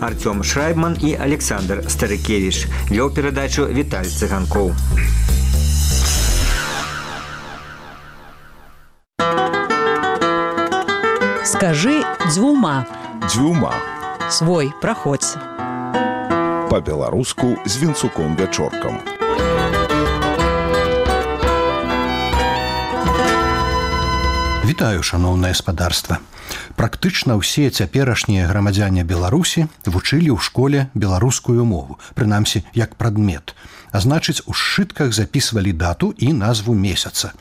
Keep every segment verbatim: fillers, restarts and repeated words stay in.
Артём Шрайбман і Александр Старыкевіч. Вёў перадачу Віталь Цыганкоў. Скажи дзвюма. Дзвюма. Свой, праходзь. Па-беларуску з Вінцуком-Вячоркам. Вітаю, шаноўнае спадарства. Практычна ўсе цяперашнія грамадзяне Беларусі вучылі ў школе беларускую мову, прынамсі, як прадмет. А значыць, у сшытках запісвалі дату і назву месяца.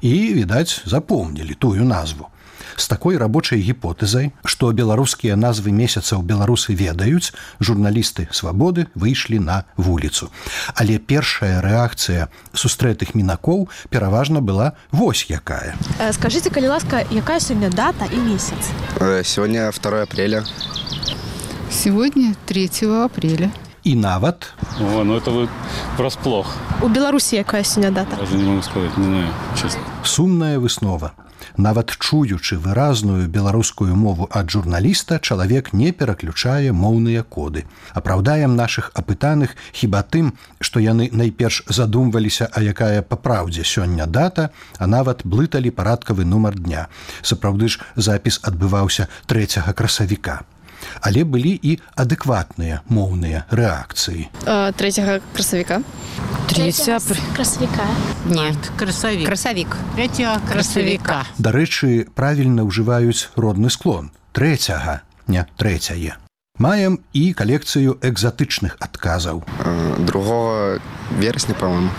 І, відаць, запомнілі тую назву. З такой рабочай гіпотэзай, што беларускія назвы месяцаў беларусы ведаюць, журналісты «Свабоды» выйшлі на вуліцу. Але першая рэакцыя сустрэтых мінакоў пераважна была вось якая. Скажите, калі ласка, якая сёння дата і месяц? Сегодня второе апреля. Сегодня третьего апреля. І нават... О, ну это вы врасплох. У Беларусі якая сёння дата? Даже не могу сказать, не знаю, честно. Сумная выснова. Нават чуючы выразную беларускую мову ад журналіста, чалавек не пераключае моўныя коды. Апраўдаем нашых апытаных хіба тым, што яны найперш задумваліся, а якая па праўдзе сёння дата, а нават блыталі парадкавы нумар дня. Сапраўды ж запіс адбываўся трэцяга красавіка. Але былі і адэкватныя моўныя рэакцыі. Трэцяга красавіка. Третьего красавіка. Нет, красавик. Красавик. Третьего красавика. Дарэчы, правільна ўжываюць родны склон. Трэцяга, не трэцяе. Маем і калекцыю экзатычных адказаў. Другого вересня, по-моему.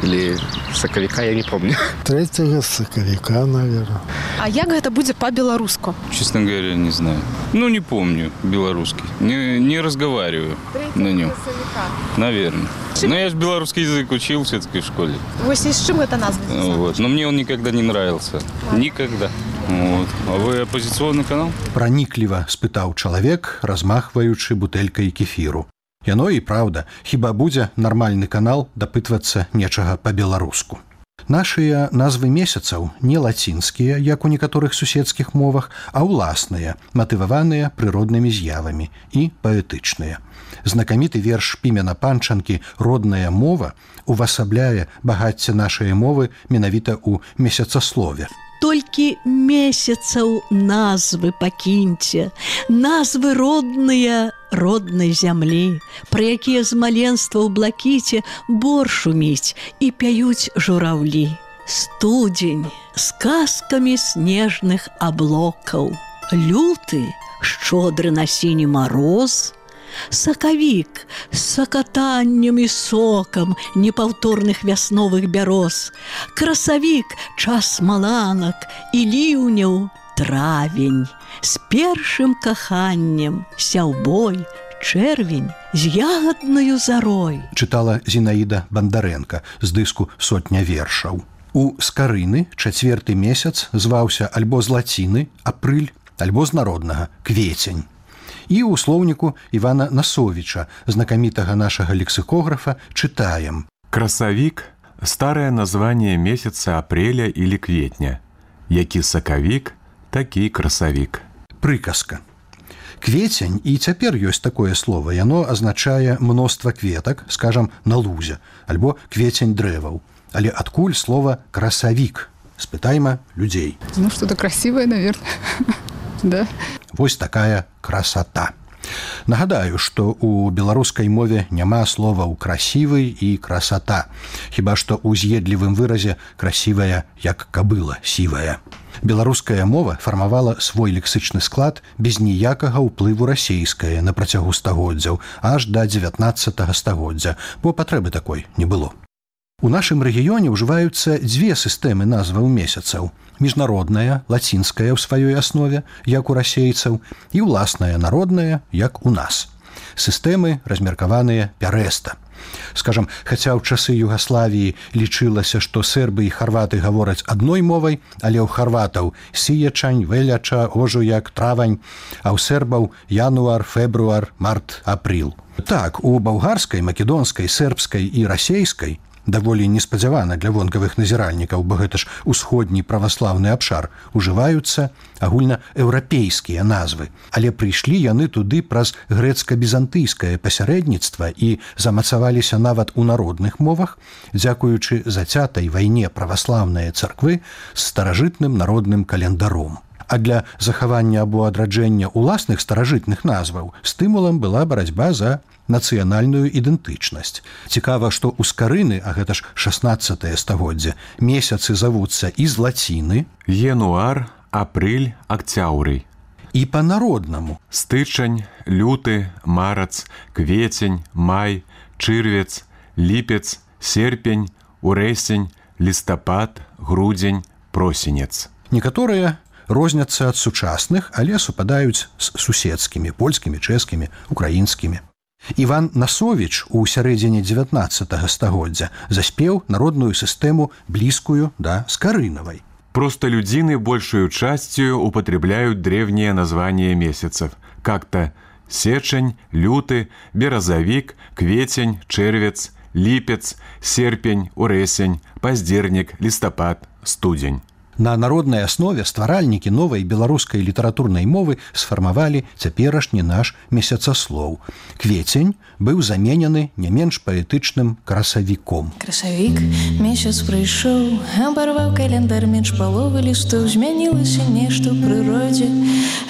Или сакавіка, я не помню. Третьего сакавіка, наверное. А як гэта будзе па-беларуску? Честно говоря, не знаю. Ну, не помню белорусский. Не, не разговариваю на нем. Наверное. Но я же белорусский язык учил все-таки в школе. Вось і з чым гэта назва? Вот. Но мне он никогда не нравился. Никогда. Вот. А вы оппозиционный канал? Пранікліва спытаў чалавек, размахваючы бутэлькай кефіру. Яно і праўда, хіба будзе нармальны канал дапытвацца нечага па-беларуску. Нашыя назвы месяцаў не лацінскія, як у некаторых суседскіх мовах, а ўласныя, матываваныя прыроднымі з'явамі і паэтычныя. Знакаміты верш Пімена Панчанкі «Родная мова» увасабляе багацце нашай мовы менавіта ў месяцаслове. Толькі месяцаў назвы пакіньце, назвы родныя роднай зямлі, пра якія з маленства ў блакіце бор шуміць і пяюць жураўлі. Студзень з казкамі снежных аблокаў, люты шчодры на сіні мароз, сакавік з сакатаннем і сокам непаўторных вясновых бяроз, красавік час маланак і ліўняў, травень з першым каханнем, сяўбой, чэрвень з ягаднаю зарой. Чытала Зінаіда Бандарэнка з дыску «Сотня вершаў». У скарыны чацверты месяц зваўся альбо з лаціны апрыль, альбо з народнага квецень. І ў слоўніку Івана Насовіча, знакамітага нашага лексикографа, чытаем. Красавік – старое название месяца апреля или кветня. Які сакавік, такі красавік. Прыказка. Кветень, і цяпер ёсць такое слово, яно азначае мноства кветак, скажам, на лузе, альбо кветень дрэваў. Але адкуль слова красавік? Спытайма людзей. Ну, что-то красивое, наверное. Да. Вось такая красота. Нагадаю, што ў беларускай мове няма словаў красівы і красота, хіба што ў з'едлівым выразе красівая, як кабыла сівая. Беларуская мова фармавала свой лексычны склад без ніякага ўплыву расейскае на працягу стагоддзяў аж да дзевятнаццатага стагоддзя, бо патрэбы такой не было. У нашым рэгіёне ўжываюцца дзве сістэмы назваў месяцаў. Міжнародная, лацінская ў сваёй аснове, як у расейцаў, і ўласная народная, як у нас. Сістэмы размеркаваныя пярэста. Скажам, хаця ў часы Югаславіі лічылася, што сербы і харваты гавораць адной мовай, але ў харватаў сіячань, веляча, ожуяк, травань, а ў сербаў януар, фебруар, март, апрыл. Так, у балгарскай, македонскай, сербскай і расейскай даволі неспадзявана для вонкавых назіральнікаў, бо гэта ж усходні праваслаўны абшар, ужываюцца агульнаеўрапейскія назвы. Але прыйшлі яны туды праз грэцка-бізантыйскае пасярэдніцтва і замацаваліся нават у народных мовах, дзякуючы зацятай вайне праваслаўныя царквы з старажытным народным календаром. А для захавання або адраджэння ўласных старажытных назваў стымулам была барацьба за нацыянальную ідэнтычнасць. Цікава, што ў скарыны, а гэта ж шаснаццатае стагоддзе, месяцы завуцца і з лаціны, януар, апрыль, акцяўрый. І па-народнаму. Стычань, люты, марац, кветень, май, чырвец, ліпец, серпень, урэсень, лістапад, грудзень, просенец. Некаторыя розняцца ад сучасных, але супадаюць з суседскімі, польскімі, чэшскімі, украінскімі. Іван Насовіч у сярэдзіне дзевятнаццатага стагоддзя заспеў народную сістэму блізкую да скарынавай. Простолюдины большую частью употребляют древние названия месяцев, как-то сечень, люты, березовик, кветень, червец, липец, серпень, уресень, поздерник, листопад, студень. На народнай аснове стваральнікі новай беларускай літаратурнай мовы сфармавалі цяперашні наш месяцаслоў. Кветень быў заменены не менш паэтычным красавіком. Красавік, месяц прыйшоў, абарваў календар менш паловы лістоў, змянілася нешта ў прыродзе,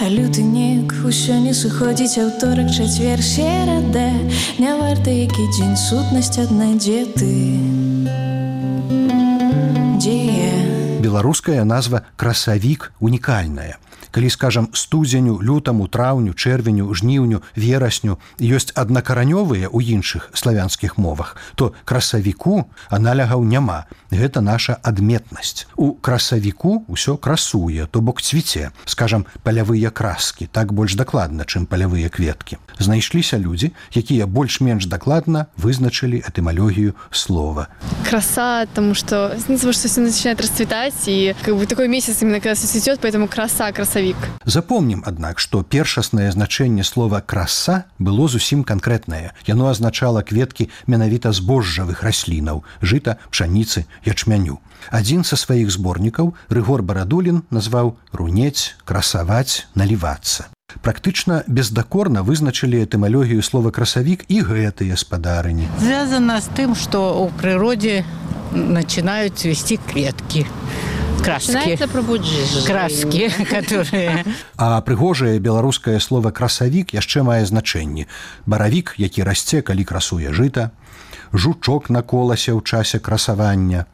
а люты неяк усё не сыходзіць, аўторак, чацвер, серада, не варта які дзень, сутнасць адна, дзе ты? Дзе я? Беларуская назва красавік унікальная. Калі, скажам, студзеню, лютаму, траўню, чэрвеню, жніўню, верасню ёсць аднакаранёвыя ў іншых славянскіх мовах, то красавіку аналягаў няма. Гэта наша адметнасць. У красавіку ўсё красуе, то бок цвіце, скажам, палявыя краскі, так больш дакладна, чым палявыя кветкі. Знайшліся людзі, якія больш-менш дакладна вызначылі этымалогію слова. Краса, потому что, ну, потому что все начинает расцветать, и как бы такой месяц именно когда все цветет, поэтому краса, красавик. Запомнім, аднак, што першаснае значэнне слова «краса» было зусім канкрэтнае. Яно азначала кветкі менавіта збожжавых раслінаў – жыта, пшаніцы, ячмяню. Адзін са сваіх зборнікаў, Рыгор Барадулін, назваў «рунець», «красаваць», «налівацца». Практычна бездакорна вызначылі этымалогію слова «красавік» і гэтыя спадарыні. Звязана з тым, што ў прыродзе начинают цвести клетки. Краски. Краски, которые... А прыгожае беларускае слова «красавік» яшчэ мае значэнні. Баравік, які расце, калі красуе жыта, жучок на коласе ў часе красавання,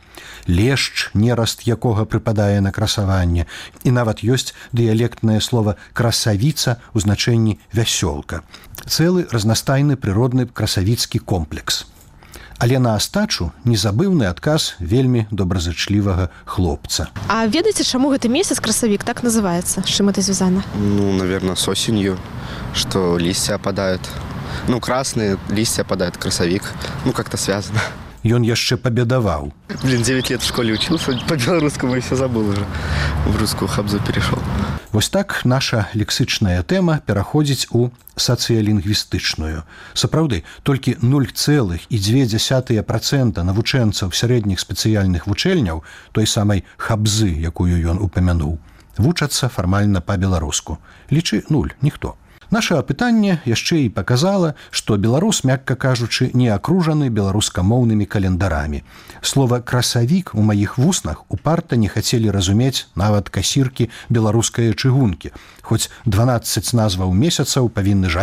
лешч, нераст якога прыпадае на красаванне, і нават ёсць дыялектнае слова «красавіца» у значэнні «вясёлка». Цэлы разнастайны прыродны красавіцкі комплекс. Але на астачу незабыўны адказ вельмі добразычлівага хлопца. А ведаеце, чаму гэты месяц красавік так называецца? З чым это звязана? Ну, наверное, с осенью, что листья опадают. Ну, красные листья опадают, красавик. Ну, как-то связано. Ён яшчэ пабедаваў. Блин, девять лет в школе учился, по-белорусскому и все забыл уже. В русскую хабзу перешел. Вось так наша лексычная тэма пераходзіць у сацыялінгвістычную. Сапраўды, толькі нуль цэлых дзве дзясятыя працэнта навучэнцаў сярэдніх спецыяльных вучэльняў, той самай хабзы, якую ён упамянуў, вучацца фармальна па-беларуску. Лічы нуль, ніхто. Наша апытанне яшчэ і паказала, што беларус, мякка кажучы, не акружаны беларускамоўнымі календарамі. Слова «красавік» у маіх вуснах упарта не хацелі разумець нават касіркі беларускае чыгункі, хоць дванаццаць назваў месяцаў павінны жалець